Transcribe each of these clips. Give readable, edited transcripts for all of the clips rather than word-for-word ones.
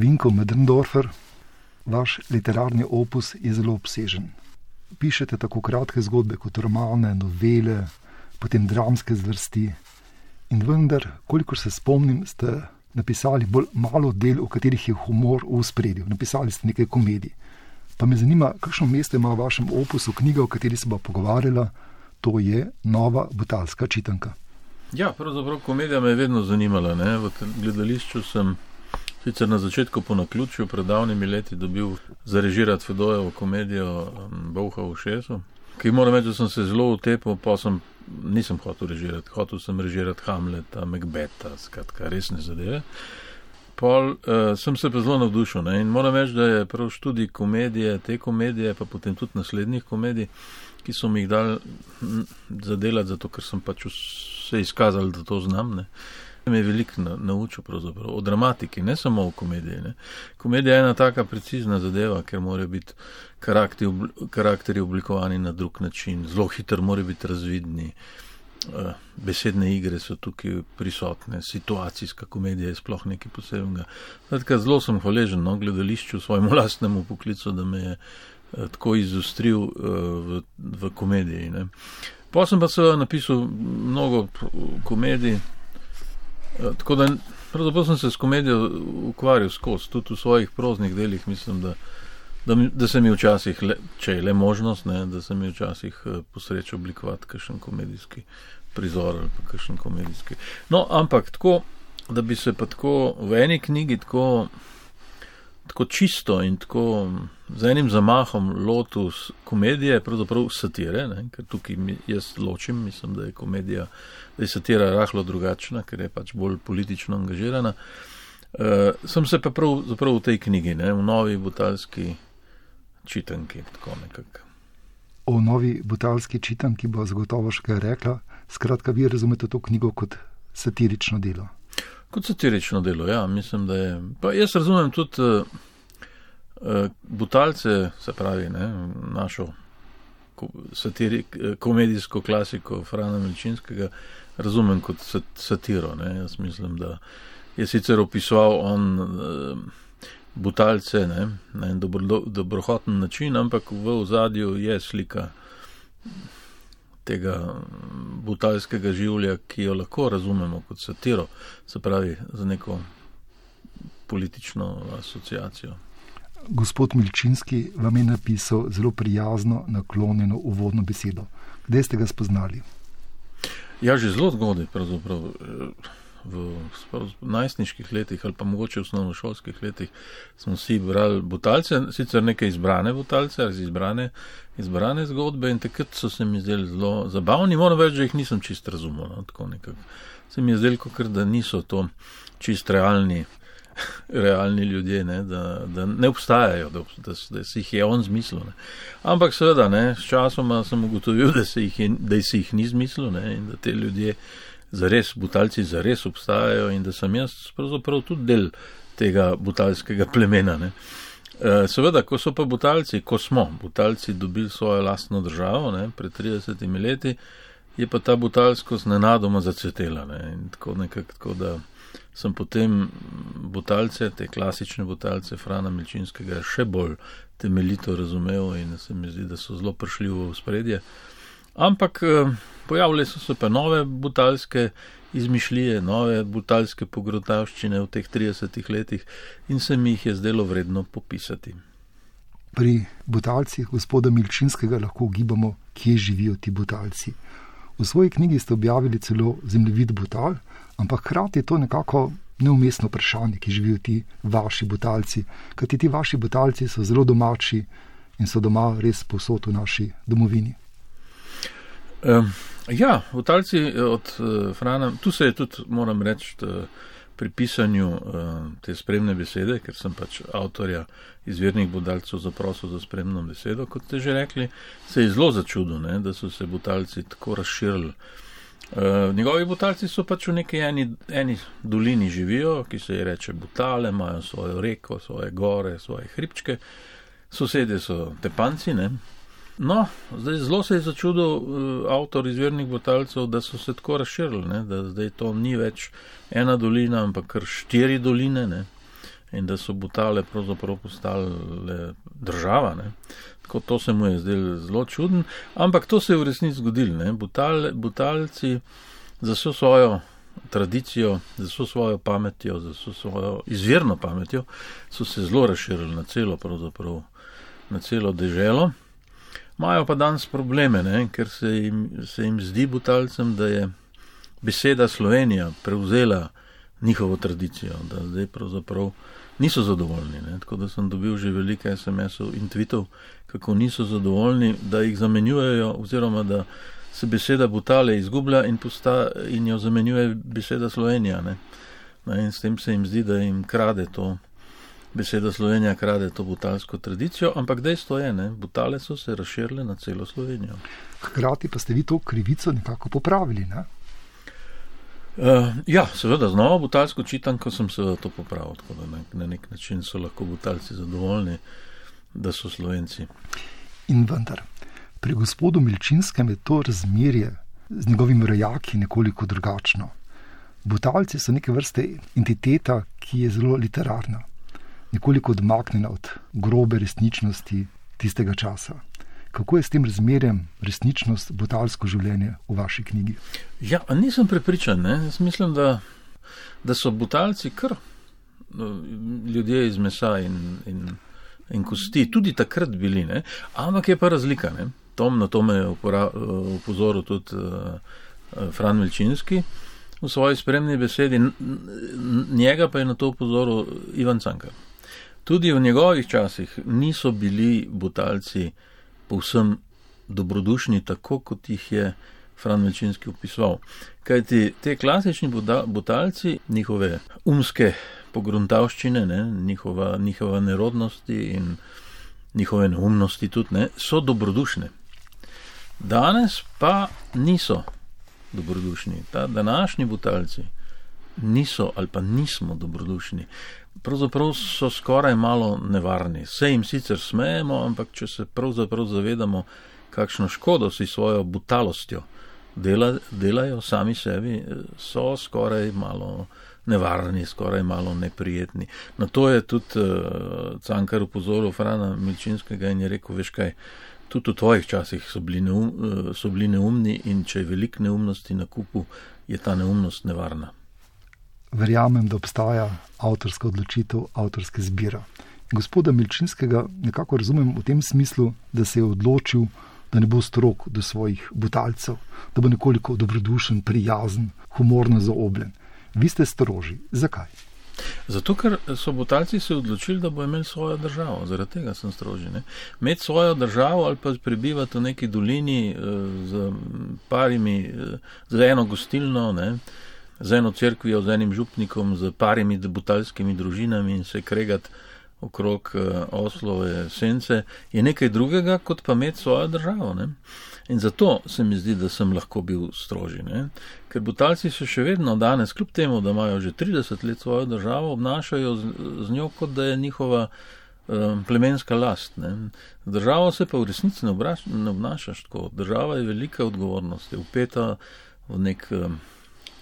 Vinko Möderndorfer, vaš literarni opus je zelo obsežen. Pišete tako kratke zgodbe kot romane, novele, potem dramske zvrsti. In vendar, kolikor se spomnim, ste napisali bolj malo del, v katerih je humor v ospredju. Napisali ste nekaj komedij. Pa me zanima, kakšno mesto ima v vašem opusu knjiga, o kateri se bo pogovarjala, to je Nova butalska čitanka. Ja, pravzaprav komedija me je vedno zanimala. Ne? V gledališču sem sicer na začetku po naključju pred davnimi leti dobil zarežirati Fedojevo komedijo Bolha v šesu, ki moram reči, da sem se zelo utepil, pa nisem hotel režirati. Hotel sem režirati Hamleta, Macbeta, skratka, resne zadeve. Pol sem se pa zelo navdušil, ne? In moram reči, da je prav študij komedije, te komedije, pa potem tudi naslednjih komedij, ki so mi jih dali zadelati, zato ker sem pač se izkazal, da to znam, ne? Me je veliko naučil pravzaprav o dramatiki, ne samo o komediji. Ne? Komedija je ena taka precizna zadeva, ker morajo biti karakteri oblikovani na drug način, zelo hitro morajo biti razvidni, besedne igre so tukaj prisotne, situacijska komedija je sploh nekaj posebnega. Tako zelo sem hvaležen gledališču, svojemu lastnemu poklicu, da me je tako izostril v komediji. Ne? Pa sem pa seveda napisal mnogo komedij, tako da pravzaprav sem se s komedijo ukvarjal skozi, tudi v svojih proznih delih mislim, da se mi včasih, če je le možnost, ne, da se mi včasih posreče oblikovati kakšen komedijski prizor ali pa kakšen komedijski. No, ampak tako, da bi se pa tako v eni knjigi tako čisto in tako z enim zamahom lotil komedije, pravzaprav satire, ne, ker tukaj jaz ločim, mislim, da je komedija, da je satira rahlo drugačna, ker je pač bolj politično angažirana. Sem se pa pravzaprav v tej knjigi, ne, v Novi butalski čitanki, tako nekako. O Novi butalski čitanki bo zagotovo še kaj rekla. Skratka, vi razumete to knjigo kot satirično delo. Kot satirično delo, ja, mislim, da je. Pa jaz razumem tudi Butalce, se pravi, ne, našo komedijsko klasiko Frana Milčinskega, razumem kot satiro. Ne. Jaz mislim, da je sicer opisoval on Butalce, ne, na en dobrohoten način, ampak v ozadju je slika tega butalskega življa, ki jo lahko razumemo kot satiro, se pravi za neko politično asociacijo. Gospod Milčinski vam je napisal zelo prijazno, naklonjeno uvodno besedo. Kdaj ste ga spoznali? Ja, že zelo zgodaj, pravzaprav v najstniških letih ali pa mogoče v osnovnošolskih letih smo si brali Butalce, sicer neke izbrane Butalce, izbrane zgodbe in takrat so se mi zdeli zelo zabavni, moram reči, da jih nisem čist razumel, no, tako nekako. Se mi je zdelo, da niso to čist realni ljudje, ne, da ne obstajajo, da si jih je on zmislil. Ne. Ampak seveda, ne, s časoma sem ugotovil, da si jih ni zmislil, ne, in da te ljudje Butalci zares obstajajo in da sem jaz pravzaprav tudi del tega butalskega plemena. Ne. Seveda, ko smo Butalci dobili svojo lastno državo, ne, pred 30 leti, je pa ta butalskost nenadoma zacvetela. Ne, in tako da sem potem Butalce, te klasične Butalce Frana Milčinskega še bolj temeljito razumel in se mi zdi, da so zelo prišli v ospredje. Ampak pojavile so se pa nove butalske izmišljije, nove butalske pogrotavščine v teh 30 letih in se mi jih je zdelo vredno popisati. Pri Butalcih gospoda Milčinskega lahko ugibamo, kje živijo ti Butalci. V svoji knjigi ste objavili celo zemljevid Butal, ampak hkrati je to nekako neumestno vprašanje, ki živijo ti vaši Butalci, kajti ti vaši Butalci so zelo domači in so doma res povsod v naši domovini. Ja, Butalci od Frana, tu se je tudi, moram reči, pri pisanju te spremne besede, ker sem pač avtorja Izvirnih Butalcev zaprosil za spremno besedo, kot ste že rekli, se je zelo začudil, ne, da so se Butalci tako razširili. Njegovi Butalci so pač v neki eni dolini živijo, ki se ji reče Butale, imajo svojo reko, svoje gore, svoje hribčke, sosedje so Tepanci, ne. No, zdaj zelo se je začudil avtor Izvirnih Butalcev, da so se tako razširili, ne, da zdaj to ni več ena dolina, ampak kar 4 doline, ne. in da so Butale pravzaprav postale država. Ne. Tako to se mu je zdelo zelo čuden, ampak to se je v resnici zgodilo. Ne. Butalci za vso svojo tradicijo, za vso svojo pametjo, za vso svojo izvirno pametjo so se zelo razširili na celo deželo. Imajo pa danes probleme, ne, ker se jim zdi Butalcem, da je beseda Slovenija prevzela njihovo tradicijo, da zdaj pravzaprav niso zadovoljni. Ne. Tako da sem dobil že veliko SMS-ov in tweetov, kako niso zadovoljni, da jih zamenjujejo, oziroma da se beseda Butale izgublja in jo zamenjuje beseda Slovenija. Ne. In s tem se jim zdi, da jim krade to, beseda Slovenija krade to butalsko tradicijo, ampak dejstvo je, ne, Butale so se razširile na celo Slovenijo. Hkrati pa ste vi to krivico nekako popravili, ne? Ja, seveda, z novo butalsko čitanko sem seveda to popravil, tako da na nek način so lahko Butalci zadovoljni, da so Slovenci. In vendar, pri gospodu Milčinskem je to razmerje z njegovimi rojaki nekoliko drugačno. Butalci so neke vrste entiteta, ki je zelo literarna, nekoliko odmaknjena od grobe resničnosti tistega časa. Kako je s tem razmerjem resničnost, butalsko življenje v vaši knjigi? Ja, nisem prepričan. Ne? Jaz mislim, da so Butalci kar ljudje iz mesa in kosti, tudi takrat bili. Ne? Ampak je pa razlika. Ne? Na to me je upozoril tudi Fran Milčinski v svoji spremni besedi. Njega pa je na to upozoril Ivan Cankar. Tudi v njegovih časih niso bili Butalci povsem dobrodušni, tako kot jih je Fran Milčinski opisoval. Kajti te klasični Butalci, njihove umske pogruntavščine, ne, njihova nerodnosti in njihove neumnosti tudi, ne, so dobrodušne. Danes pa niso dobrodušni. Ta današnji Butalci niso ali pa nismo dobrodušni. Pravzaprav so skoraj malo nevarni. Se jim sicer smejemo, ampak če se pravzaprav zavedamo, kakšno škodo si svojo butalostjo delajo sami sebi, so skoraj malo nevarni, skoraj malo neprijetni. Na to je tudi Cankar upozoril Frana Milčinskega in je rekel, veš kaj, tudi v tvojih časih so bili neumni in če je veliko neumnosti na kupu, je ta neumnost nevarna. Verjamem, da obstaja avtorska odločitev, avtorske zbira. Gospoda Milčinskega nekako razumem v tem smislu, da se je odločil, da ne bo strog do svojih Butalcev, da bo nekoliko dobrodušen, prijazen, humorno zaobljen. Vi ste stroži. Zakaj? Zato, ker so Butalci se odločili, da bo imeli svojo državo. Zaradi tega sem stroži. Imeti svojo državo ali pa prebivati v neki dolini z eno gostilno, ne, z eno cerkvijo, z enim župnikom, z parimi butalskimi družinami in se kregati okrog oslove sence, je nekaj drugega, kot pa imeti svojo državo. Ne? In zato se mi zdi, da sem lahko bil stroži. Ne? Ker Butalci se še vedno danes, kljub temu, da imajo že 30 let svojo državo, obnašajo z njo, kot da je njihova plemenska last. Ne? Državo se pa v resnici ne obnašaš tako. Država je velika odgovornost, je vpeta v nek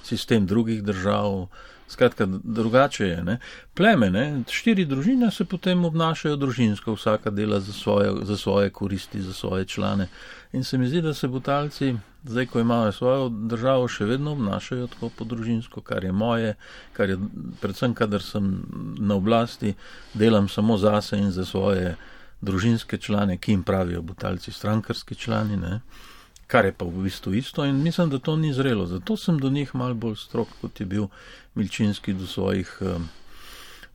sistem drugih držav, skratka, drugače je. Ne? Pleme, ne? 4 družine se potem obnašajo družinsko, vsaka dela za svoje koristi, za svoje člane. In se mi zdi, da se Butalci, zdaj, ko imajo svojo državo, še vedno obnašajo tako po družinsko, kar je moje, kar je predvsem, kadar sem na oblasti, delam samo zase in za svoje družinske člane, ki jim pravijo Butalci strankarski člani, ne? Kar je pa v bistvu isto in mislim, da to ni zrelo. Zato sem do njih malo bolj strog, kot je bil Milčinski do svojih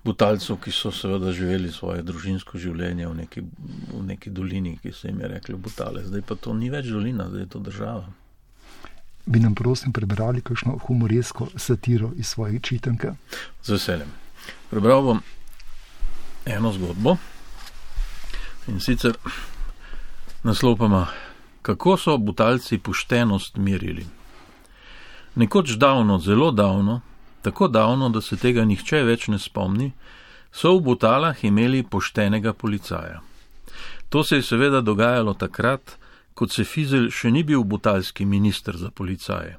Butalcev, ki so seveda živeli svoje družinsko življenje v neki dolini, ki se jim je rekli Butale. Zdaj pa to ni več dolina, zdaj je to država. Bi nam prosim prebrali kakšno humoresko satiro iz svoje čitanke? Z veseljem. Prebral bom eno zgodbo in sicer naslov pa ima: Kako so Butalci poštenost merili? Nekoč davno, zelo davno, tako davno, da se tega nihče več ne spomni, so v Butalah imeli poštenega policaja. To se je seveda dogajalo takrat, kot se Fizelj še ni bil butalski minister za policaje.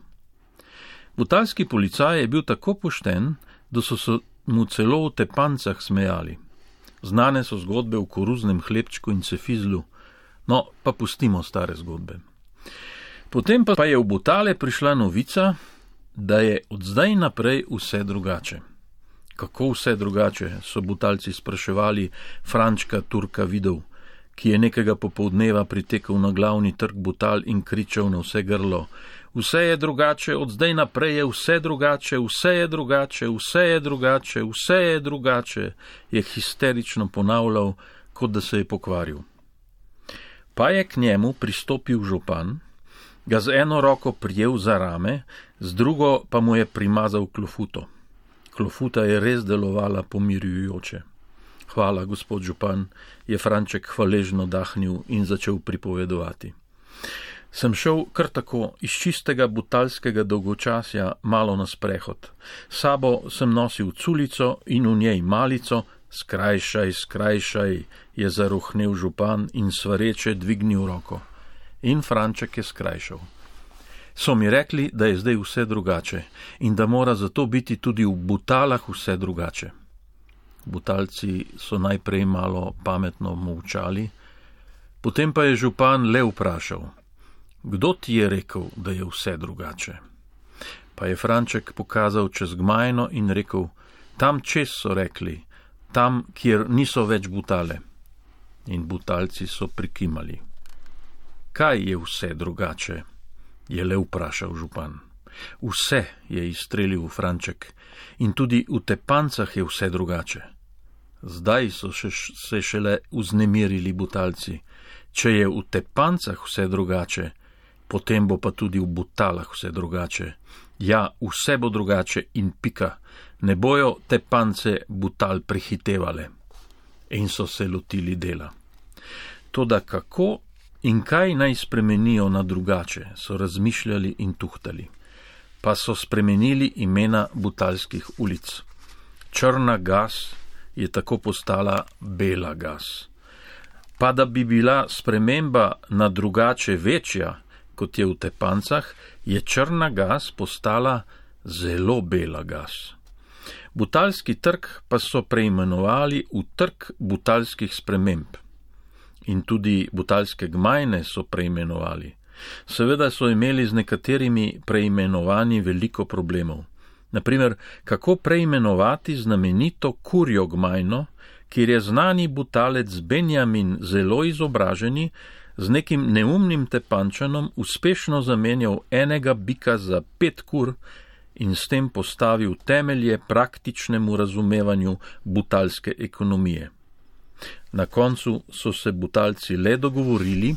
Butalski policaj je bil tako pošten, mu celo v tepancah smejali. Znane so zgodbe o koruznem hlebčku in cefizlu, no, pa pustimo stare zgodbe. Potem pa je v Butale prišla novica, da je od zdaj naprej vse drugače. Kako vse drugače, so Butalci spraševali Frančka Turka Vidov, ki je nekega popoldneva pritekel na glavni trg Butal in kričal na vse grlo: vse je drugače, od zdaj naprej je vse drugače, vse je drugače, vse je drugače, vse je drugače, je histerično ponavljal, kot da se je pokvaril. Pa je k njemu pristopil župan, ga z eno roko prijel za rame, z drugo pa mu je primazal klofuto. Klofuta je res delovala pomirjujoče. Hvala, gospod župan, je Franček hvaležno dahnil in začel pripovedovati. Sem šel kar tako iz čistega butalskega dolgočasja malo na sprehod. Sabo sem nosil culico in v njej malico. Skrajšaj, skrajšaj, je zarohnel župan in svareče dvignil roko. In Franček je skrajšal. So mi rekli, da je zdaj vse drugače in da mora zato biti tudi v Butalah vse drugače. Butalci so najprej malo pametno molčali, potem pa je župan le vprašal: kdo ti je rekel, da je vse drugače? Pa je Franček pokazal čez Gmajno in rekel: tam čez so rekli, tam, kjer niso več Butale. In Butalci so prikimali. Kaj je vse drugače? Je le vprašal župan. Vse, je izstrelil Franček, in tudi v tepancah je vse drugače. Zdaj so se šele vznemirili Butalci. Če je v tepancah vse drugače, potem bo pa tudi v Butalah vse drugače. Ja, vse bo drugače in pika. Ne bojo tepance Butal prehitevale. In so se lotili dela. Toda kako in kaj naj spremenijo na drugače, so razmišljali in tuhtali. Pa so spremenili imena butalskih ulic. Črna gas je tako postala Bela gas. Pa da bi bila sprememba na drugače večja, kot je v tepancah, je črna gas postala zelo bela gas. Butalski trg pa so preimenovali v trg butalskih sprememb. In tudi butalske Gmajne so preimenovali. Seveda so imeli z nekaterimi preimenovanji veliko problemov. Naprimer, kako preimenovati znamenito Kurjo Gmajno, kjer je znani Butalec Benjamin zelo izobraženi, z nekim neumnim tepančanom uspešno zamenjal enega bika za 5 kur in s tem postavil temelje praktičnemu razumevanju butalske ekonomije. Na koncu so se Butalci le dogovorili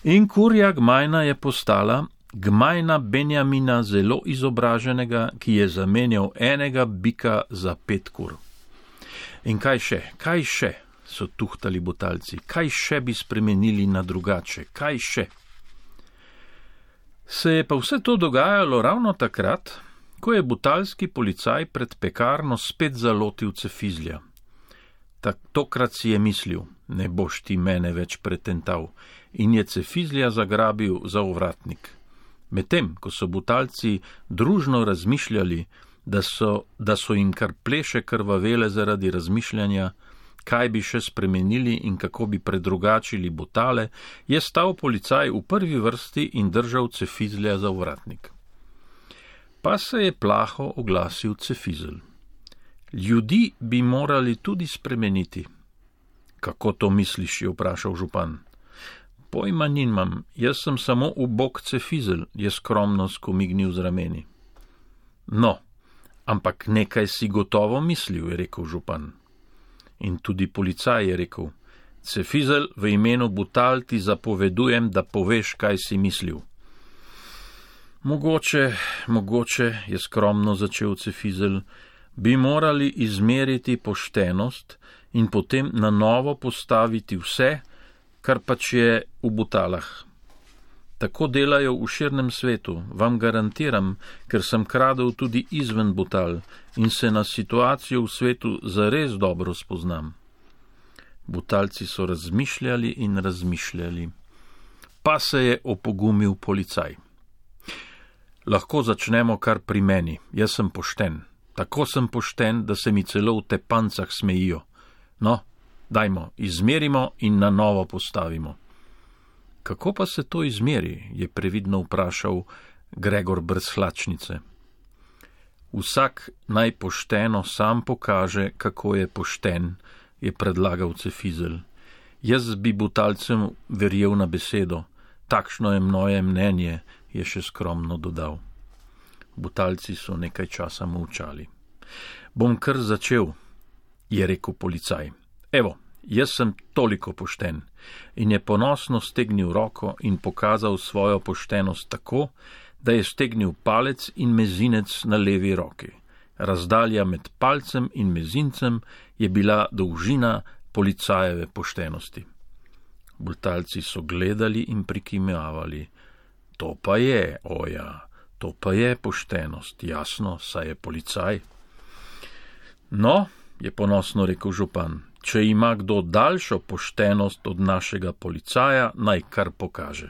in Kurja Gmajna je postala Gmajna Benjamina zelo izobraženega, ki je zamenjal enega bika za 5 kur. In kaj še, so tuhtali Butalci, kaj še bi spremenili na drugače, kaj še? Se je pa vse to dogajalo ravno takrat, ko je butalski policaj pred pekarno spet zalotil cefizlja. Tokrat si je mislil, ne boš ti mene več pretental, in je cefizlja zagrabil za ovratnik. Medtem, ko so Butalci družno razmišljali, da so jim kar pleše krvavele zaradi razmišljanja, kaj bi še spremenili in kako bi predrugačili Butale, je stal policaj v prvi vrsti in držal cefizlja za ovratnik. Pa se je plaho oglasil cefizel. Ljudi bi morali tudi spremeniti. Kako to misliš, je vprašal župan. Pojma nimam, jaz sem samo ubog cefizel, je skromno skomignil z rameni. No, ampak nekaj si gotovo mislil, je rekel župan. In tudi policaj je rekel: cefizel, v imenu Butal ti zapovedujem, da poveš, kaj si mislil. Mogoče, je skromno začel cefizel, bi morali izmeriti poštenost in potem na novo postaviti vse, kar pač je v Butalah. Tako delajo v širnem svetu, vam garantiram, ker sem kradel tudi izven Butal in se na situacijo v svetu zares dobro spoznam. Butalci so razmišljali in razmišljali. Pa se je opogumil policaj. Lahko začnemo kar pri meni, jaz sem pošten. Tako sem pošten, da se mi celo v tepancah smejijo. No, dajmo, izmerimo in na novo postavimo. Kako pa se to izmeri, je previdno vprašal Gregor brez hlačnice. Vsak naj pošteno sam pokaže, kako je pošten, je predlagal Cefizelj. Jaz bi Butalcem verjel na besedo, takšno je moje mnenje, je še skromno dodal. Butalci so nekaj časa molčali. Bom kar začel, je rekel policaj. Evo, jaz sem toliko pošten, in je ponosno stegnil roko in pokazal svojo poštenost tako, da je stegnil palec in mezinec na levi roki. Razdalja med palcem in mezincem je bila dolžina policajeve poštenosti. Butalci so gledali in prikimavali. To pa je, oja, to pa je poštenost, jasno, saj je policaj. No, je ponosno rekel župan, če ima kdo daljšo poštenost od našega policaja, naj kar pokaže.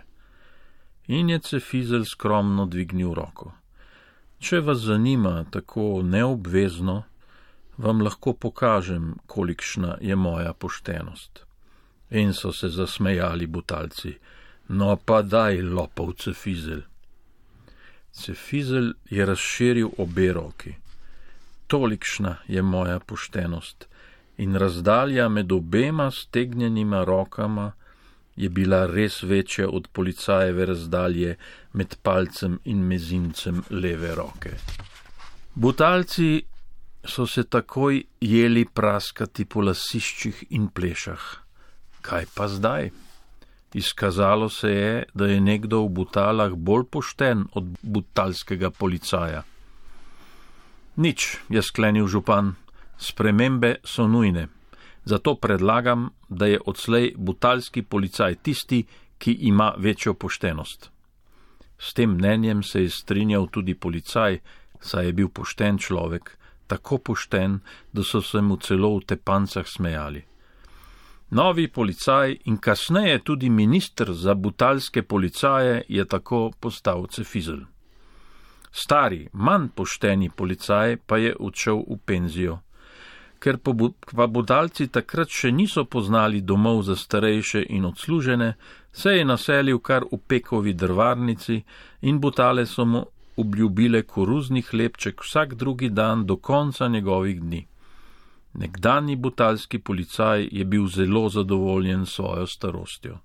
In je Cefizelj skromno dvignil roko. Če vas zanima tako neobvezno, vam lahko pokažem, kolikšna je moja poštenost. In so se zasmejali Butalci. No pa daj, lopov Cefizelj. Cefizelj je razširil obe roki. Tolikšna je moja poštenost in razdalja med obema stegnjenima rokama je bila res večja od policajeve razdalje med palcem in mezincem leve roke. Butalci so se takoj jeli praskati po lasiščih in plešah. Kaj pa zdaj? Izkazalo se je, da je nekdo v Butalah bolj pošten od butalskega policaja. Nič, je sklenil župan, spremembe so nujne. Zato predlagam, da je odslej butalski policaj tisti, ki ima večjo poštenost. S tem mnenjem se je strinjal tudi policaj, saj je bil pošten človek, tako pošten, da so se mu celo v tepancah smejali. Novi policaj in kasneje tudi minister za butalske policaje je tako postal Cefizelj. Stari, manj pošteni policaj pa je odšel v penzijo. Ker pa Butalci takrat še niso poznali domov za starejše in odslužene, se je naselil kar v Pekovi drvarnici in Butale so mu obljubile koruzni hlebček vsak drugi dan do konca njegovih dni. Nekdanji butalski policaj je bil zelo zadovoljen s svojo starostjo.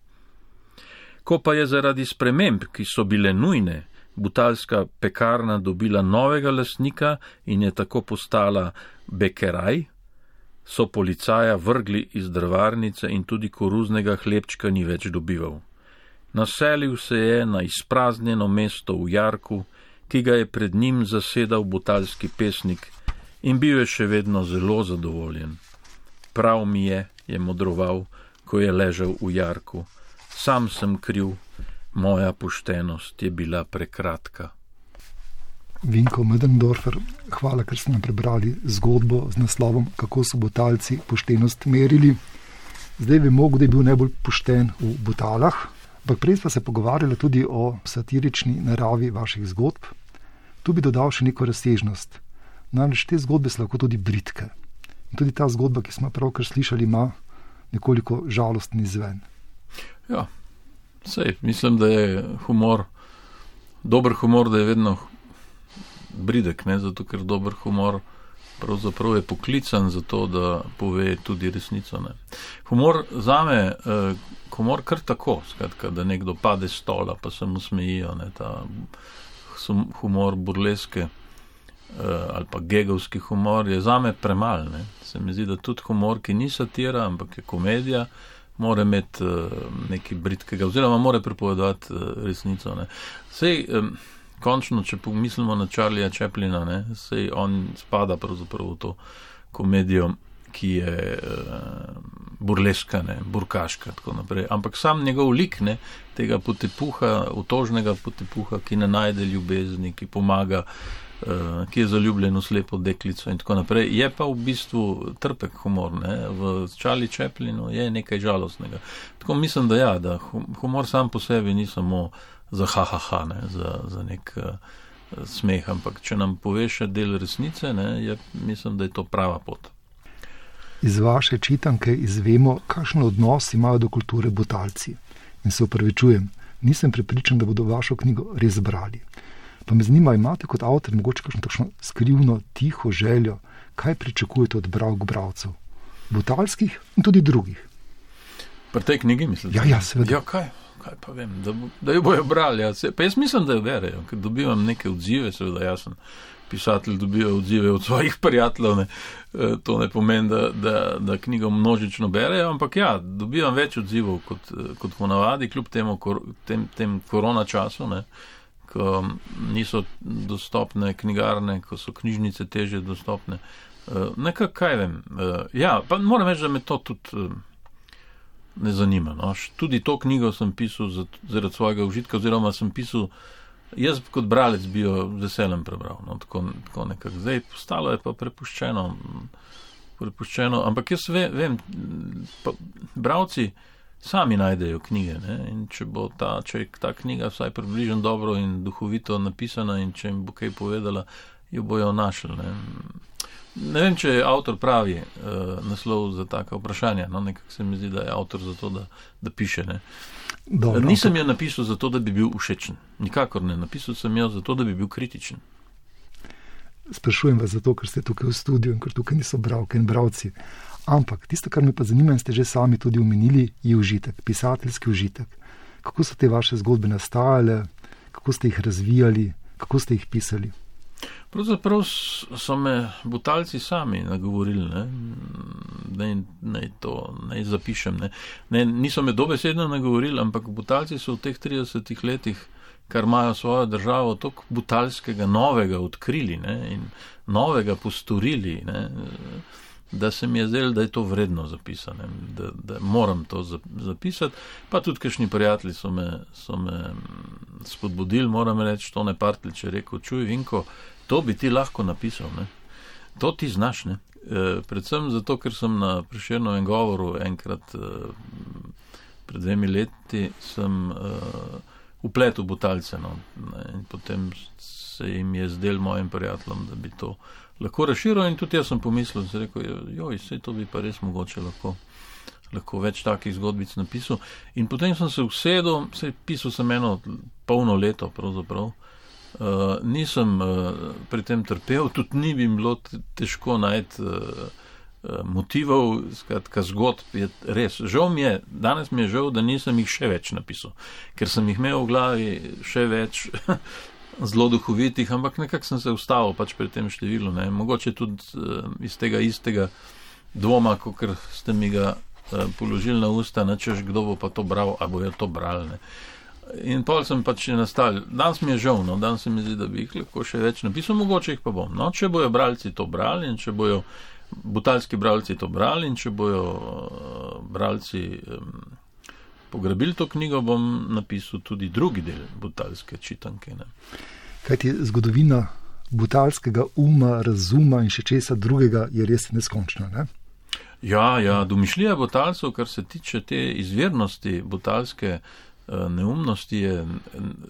Ko pa je zaradi sprememb, ki so bile nujne, butalska pekarna dobila novega lastnika in je tako postala Bekeraj, so policaja vrgli iz drvarnice in tudi koruznega hlebčka ni več dobival. Naselil se je na izpraznjeno mesto v Jarku, ki ga je pred njim zasedal butalski pesnik in bil je še vedno zelo zadovoljen. Prav mi je modroval, ko je ležal v Jarku. Sam sem kriv, moja poštenost je bila prekratka. Vinko Möderndorfer, hvala, ker ste nam prebrali zgodbo z naslovom Kako so Butalci poštenost merili. Zdaj vemo, kdo je bil najbolj pošten v Butalah, ampak prej pa se pogovarjali tudi o satirični naravi vaših zgodb. Tu bi dodal še neko razsežnost. Namreč te zgodbe so lahko tudi bridke. In tudi ta zgodba, ki smo pravkar slišali, ima nekoliko žalostni izven. Ja, sej, mislim, da je humor, dober humor, da je vedno bridek, ne? Zato ker dober humor pravzaprav je poklican za to, da pove tudi resnico. Ne? Humor zame, humor kar tako, skratka, da nekdo pade s stola, pa se mu smejijo, ne? Ta humor burleske ali pa gegovski humor je zame premal. Ne? Se mi zdi, da tudi humor, ki ni satira, ampak je komedija, mora imeti nekaj bridkega, oziroma mora pripovedati resnico. Ne? Sej, končno, če pomislimo na Charlieja Chaplina, ne, sej on spada pravzaprav v to komedijo, ki je burleska, ne, burkaška, tako naprej. Ampak sam njegov lik, ne, tega potepuha, otožnega potepuha, ki ne najde ljubezni, ki pomaga, ki je zaljubljen v slepo deklico in tako naprej, je pa v bistvu trpek humor. Ne. V Charlie Chaplinu je nekaj žalostnega. Tako mislim, da ja, da humor sam po sebi ni samo za ha-ha-ha, ne, za nek smeh, ampak če nam poveš še del resnice, ne, mislim, da je to prava pot. Iz vaše čitanke izvemo, kakšen odnos imajo do kulture Butalci. In se opravičujem, nisem prepričan, da bodo vašo knjigo res brali. Pa me zanima, imate kot avtor mogoče kakšno takšno skrivno, tiho željo, kaj pričakujete od bralcev, butalskih in tudi drugih? Pri tej knjigi mislite? Ja, seveda. Ja, kaj pa vem, da jo bojo brali. Ja. Pa jaz mislim, da jo berejo, ker dobivam neke odzive, seveda jaz sem pisatelj, dobivajo odzive od svojih prijateljev, ne. To ne pomeni, da knjigo množično berejo, ampak ja, dobivam več odzivov kot ponavadi, kljub tem korona času, ne, ko niso dostopne knjigarne, ko so knjižnice težje dostopne. Nekaj, kaj vem. Ja, pa moram reči, da me to tudi ne zanima. No. Tudi to knjigo sem pisal zaradi svojega užitka, oziroma sem pisal, jaz kot bralec bi jo z veseljem prebral. No. Tako nekako. Zdaj postalo je pa prepuščeno, ampak jaz vem, bralci sami najdejo knjige, ne? In če je ta knjiga vsaj približno dobro in duhovito napisana in če jim bo kaj povedala, jo bojo našli. Ne vem, če je avtor pravi naslov za taka vprašanja. No, nekako se mi zdi, da je avtor za to, da piše. Ne. Dobro, nisem jo napisal zato, da bi bil všečen. Nikakor ne. Napisal sem jo zato, da bi bil kritičen. Sprašujem vas zato, ker ste tukaj v studiu in ker tukaj niso bralke in bralci. Ampak tisto, kar me pa zanima, in ste že sami tudi omenili, je užitek, pisateljski užitek. Kako so te vaše zgodbe nastajale, kako ste jih razvijali, kako ste jih pisali? Pravzaprav so me Butalci sami nagovorili, naj zapišem. Niso me dobesedno nagovorili, ampak Butalci so v teh 30 letih, kar imajo svojo državo, toliko butalskega novega odkrili, ne, in novega postorili, ne, da se mi je zdelo, da je to vredno zapisane, da moram to zapisati. Pa tudi kakšni prijatelji so me spodbudili, moram reči, Tone Partlič je rekel, čuj Vinko, to bi ti lahko napisal, ne. To ti znaš, ne. Predvsem zato, ker sem na Prešernovem govoru enkrat pred 2 leti sem vpletel Butalce, no, in potem se jim je zdel mojim prijateljem, da bi to lahko razširil, in tudi jaz sem pomislil, sem rekel, saj to bi pa res mogoče lahko več takih zgodbic napisal. In potem sem se usedel, pisal sem eno polno leto pravzaprav, nisem pri tem trpel, tudi ni bi bilo težko najti motivov, skratka zgodb je res. Danes mi je žal, da nisem jih še več napisal, ker sem jih imel v glavi še več zelo duhovitih, ampak nekako sem se ustavil pač pri tem številu, ne. Mogoče tudi iz tega istega dvoma, kakor ste mi ga položili na usta, češ kdo bo pa to bral, a bojo to brali, ne. In pol sem pač nastal. Danes mi je žal, no, danes se mi zdi, da bi jih lahko še več napisal, mogoče jih pa bom. No, če bojo bralci to brali in če bojo butalski bralci to brali in če bojo bralci pograbili to knjigo, bom napisal tudi drugi del butalske čitanke. Ne. Kajti zgodovina butalskega uma, razuma in še česa drugega je res neskončna, ne? Ja, domišljija Butalcev, kar se tiče te izvirnosti butalske neumnosti, je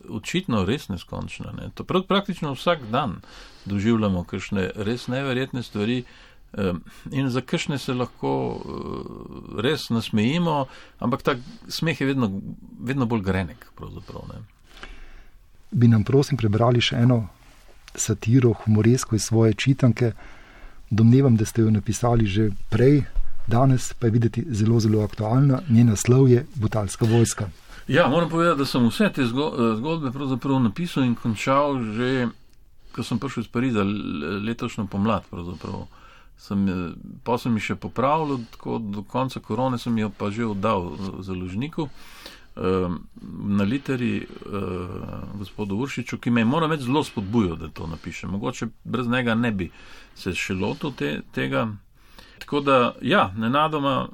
očitno res neskončna. Ne. To praktično vsak dan doživljamo kakšne res neverjetne stvari in za kakšne se lahko res nasmejimo, ampak ta smeh je vedno bolj grenek pravzaprav. Ne. Bi nam prosim prebrali še eno satiro, humoresko iz svoje čitanke. Domnevam, da ste jo napisali že prej, danes pa je videti zelo, zelo aktualna. Njen naslov je Butalska vojska. Ja, moram povedati, da sem vse te zgodbe pravzaprav napisal in končal že, ko sem prišel iz Pariza letošnjo pomlad pravzaprav. Pa sem jih še popravil, tako do konca korone sem jo pa že oddal založniku na literi gospodu Uršiču, ki me je, moram reči, zelo spodbujal, da to napišem. Mogoče brez njega ne bi se še lotil tega. Tako da, ja, nenadoma,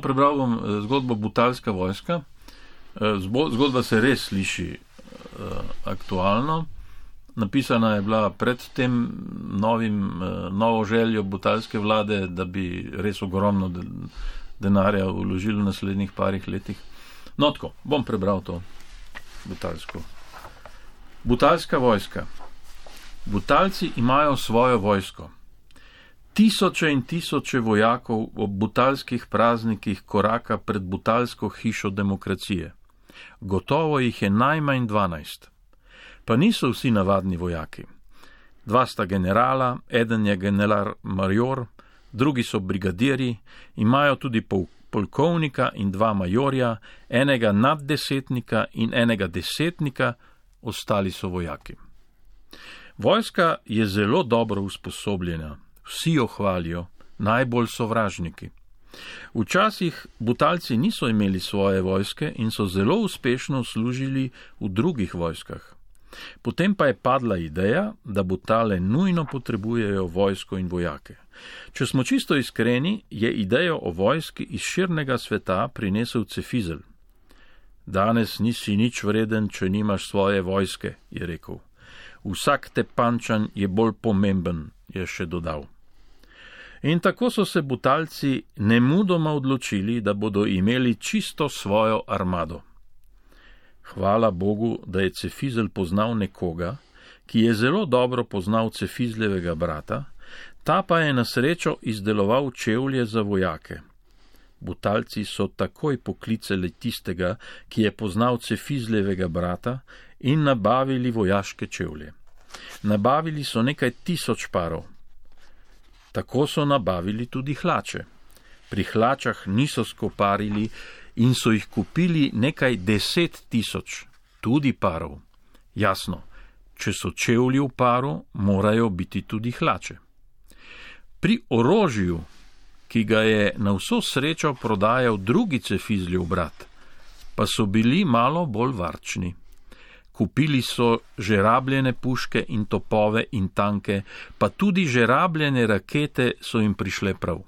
prebral bom zgodbo Butalska vojska. Zgodba se res sliši aktualno. Napisana je bila pred tem novo željo butalske vlade, da bi res ogromno denarja vložili v naslednjih parih letih. No, tako, bom prebral to butalsko. Butalska vojska. Butalci imajo svojo vojsko. Tisoče in tisoče vojakov ob butalskih praznikih koraka pred butalsko hišo demokracije. Gotovo jih je najmanj 12. Pa niso vsi navadni vojaki. 2 sta generala, eden je general major, drugi so brigadirji, imajo tudi polkovnika in 2 majorja, enega naddesetnika in enega desetnika, ostali so vojaki. Vojska je zelo dobro usposobljena, vsi jo hvalijo, najbolj sovražniki. Včasih Butalci niso imeli svoje vojske in so zelo uspešno služili v drugih vojskah. Potem pa je padla ideja, da Butale nujno potrebujejo vojsko in vojake. Če smo čisto iskreni, je idejo o vojski iz širnega sveta prinesel Cefizelj. Danes nisi nič vreden, če nimaš svoje vojske, je rekel. Vsak Tepančan je bolj pomemben, je še dodal. In tako so se Butalci nemudoma odločili, da bodo imeli čisto svojo armado. Hvala Bogu, da je Cefizelj poznal nekoga, ki je zelo dobro poznal Cefizljevega brata, ta pa je na srečo izdeloval čevlje za vojake. Butalci so takoj poklicali tistega, ki je poznal Cefizljevega brata, in nabavili vojaške čevlje. Nabavili so nekaj 1000 parov. Tako so nabavili tudi hlače. Pri hlačah niso skoparili in so jih kupili nekaj 10 000, tudi parov. Jasno, če so čevlji v paru, morajo biti tudi hlače. Pri orožju, ki ga je na vso srečo prodajal drugi Cefizljev brat, pa so bili malo bolj varčni. Kupili so že rabljene puške in topove in tanke, pa tudi že rabljene rakete so jim prišle prav.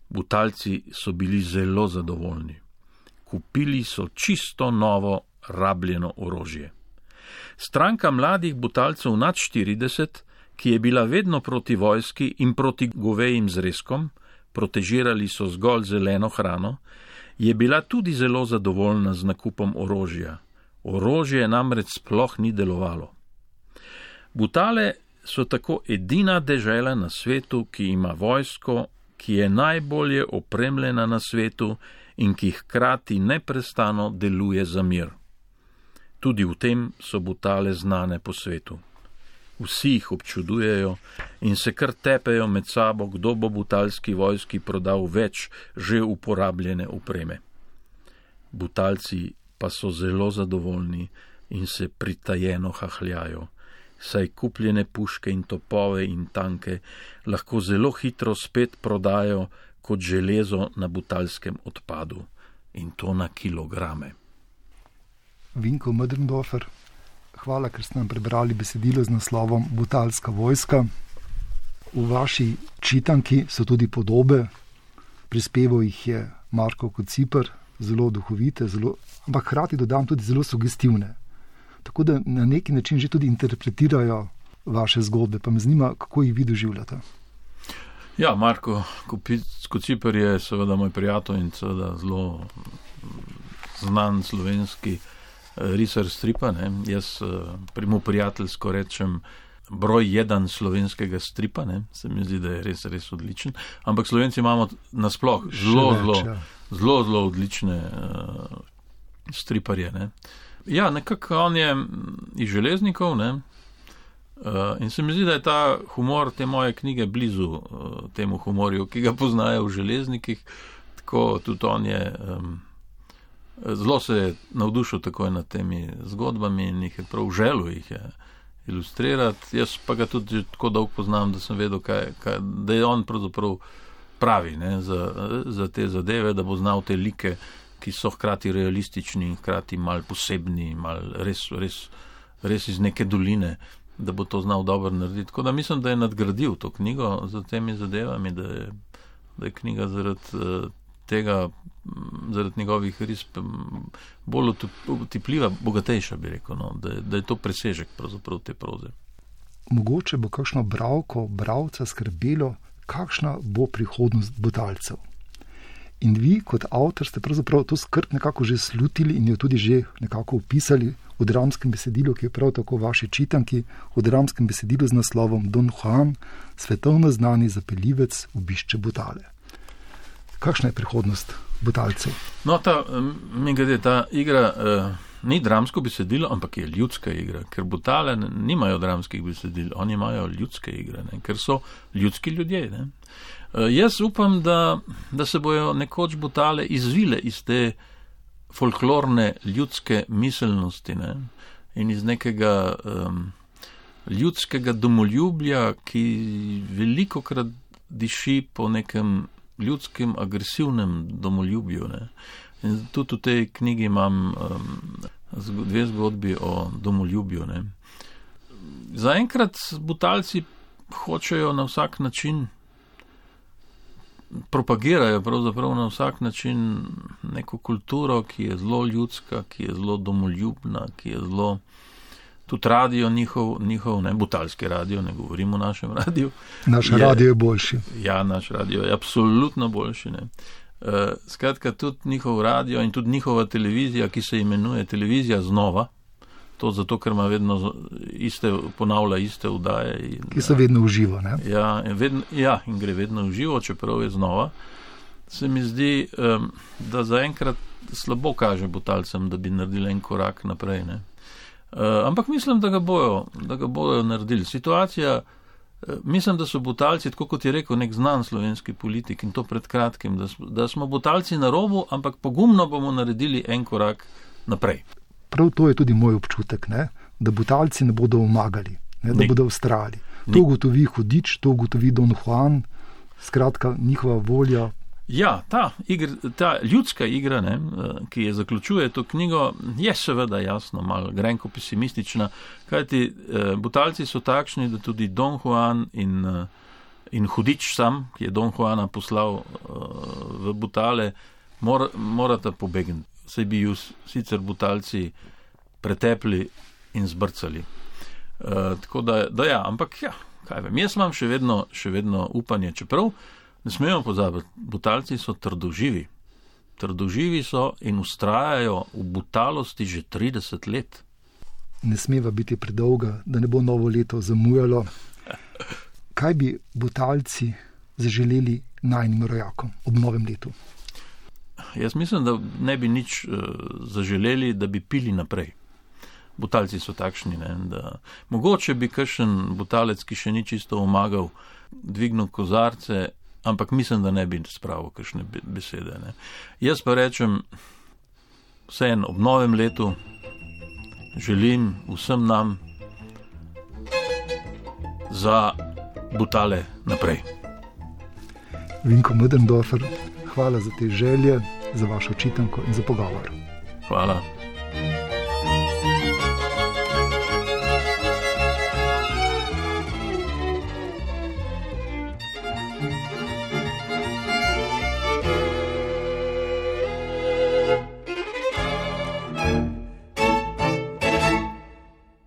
Butalci so bili zelo zadovoljni. Kupili so čisto novo rabljeno orožje. Stranka mladih Butalcev nad 40, ki je bila vedno proti vojski in proti govejim zrezkom, protežirali so zgolj zeleno hrano, je bila tudi zelo zadovoljna z nakupom orožja. Orožje namreč sploh ni delovalo. Butale so tako edina dežela na svetu, ki ima vojsko, ki je najbolje opremljena na svetu in ki hkrati neprestano deluje za mir. Tudi v tem so Butale znane po svetu. Vsi jih občudujejo in se kar tepejo med sabo, kdo bo butalski vojski prodal več že uporabljene opreme. Butalci pa so zelo zadovoljni in se pritajeno hahljajo, saj kupljene puške in topove in tanke lahko zelo hitro spet prodajo kot železo na butalskem odpadu, in to na kilograme. Vinko Möderndorfer, hvala, ker ste nam prebrali besedilo z naslovom Butalska vojska. V vaši čitanki so tudi podobe, prispeval jih je Marko Kociper, zelo duhovite, ampak hkrati dodam tudi zelo sugestivne. Tako da na neki način že tudi interpretirajo vaše zgodbe, pa me zanima, kako jih vi doživljate. Ja, Marko Kociper je seveda moj prijatelj in seveda zelo znan slovenski risar stripa. Ne? Jaz primo prijateljsko rečem broj 1 slovenskega stripa, ne? Se mi zdi, da je res, res odličen. Ampak Slovenci imamo nasploh zelo odlične striparje. Ne? Ja, nekako on je iz Železnikov, ne? In se mi zdi, da je ta humor te moje knjige blizu temu humorju, ki ga poznajo v Železnikih. Tako tudi on je zelo se je navdušil takoj nad temi zgodbami in jih je prav želel jih je ilustrirati. Jaz pa ga tudi tako dolgo poznam, da sem vedel, da je on pravzaprav pravi, ne, za te zadeve, da bo znal te like, ki so hkrati realistični in hkrati mal posebni, mal res iz neke doline, da bo to znal dobro narediti. Tako da mislim, da je nadgradil to knjigo za temi zadevami, da je knjiga zaradi tega, zaradi njegovih risb bolj utipljiva, bogatejša, bi rekel, no, da je to presežek pravzaprav te proze. Mogoče bo kakšno bralca skrbelo, kakšna bo prihodnost Butalcev. In vi kot avtor ste pravzaprav to skrb nekako že slutili in jo tudi že nekako opisali v dramskem besedilu, ki je prav tako vaši čitanki, v dramskem besedilu z naslovom Don Juan, svetovno znani zapeljivec, obišče Butale. Kakšna je prihodnost Butalcev? No, ta igra ni dramsko besedilo, ampak je ljudska igra, ker Butale nimajo dramskih besedil, oni imajo ljudske igre, ne? Ker so ljudski ljudje. Ne? Jaz upam, da se bojo nekoč Butale izvile iz te folklorne ljudske miselnosti, ne? In iz nekega ljudskega domoljubja, ki velikokrat diši po nekem ljudskem agresivnem domoljubju. Ne? In tudi v tej knjigi imam dve zgodbi o domoljubju. Ne? Zaenkrat Butalci hočejo na vsak način, propagirajo pravzaprav na vsak način neko kulturo, ki je zelo ljudska, ki je zelo domoljubna, ki je zelo, tudi radio njihov, ne, butalski radio, ne govorim o našem radiju. Naš radio je boljši. Ja, naš radio je absolutno boljši. Ne. Skratka, tudi njihov radio in tudi njihova televizija, ki se imenuje Televizija znova, to zato, ker ima vedno ponavlja iste vdaje. Ki so vedno v živo, ne? Ja, in gre vedno v živo, čeprav je znova. Se mi zdi, da zaenkrat slabo kaže Butalcem, da bi naredili en korak naprej, ne. Ampak mislim, da ga bojo naredili. Situacija, mislim, da so Butalci, tako kot je rekel nek znan slovenski politik, in to pred kratkim, da smo Butalci na robu, ampak pogumno bomo naredili en korak naprej. Prav to je tudi moj občutek, ne? Da Butalci ne bodo omagali, ne? Da bodo vztrajali. To ugotovi Hudič, to ugotovi Don Juan, skratka njihova volja. Ja, ta ljudska igra, ne, ki je zaključuje to knjigo, je seveda jasno malo grenko pesimistična, kajti Butalci so takšni, da tudi Don Juan in Hudič sam, ki je Don Juana poslal v Butale, morata pobegniti. Saj bi ju sicer Butalci pretepli in zbrcali. Tako da ja, ampak ja, kaj vem, jaz imam še vedno upanje, čeprav ne smemo pozabiti, Butalci so trdoživi. Trdoživi so in vztrajajo v butalosti že 30 let. Ne smeva biti predolga, da ne bo novo leto zamujalo. Kaj bi Butalci zaželeli najnim rojakom ob novem letu? Jaz mislim, da ne bi nič zaželeli, da bi pili naprej. Butalci so takšni, ne, da mogoče bi kakšen Butalec, ki še ni čisto omagal, dvignil kozarce, ampak mislim, da ne bi spravil kakšne besede. Ne. Jaz pa rečem, vseeno ob novem letu želim vsem nam za Butale naprej. Vinko Möderndorfer, hvala za te želje, za vašo čitanko in za pogovor. Hvala.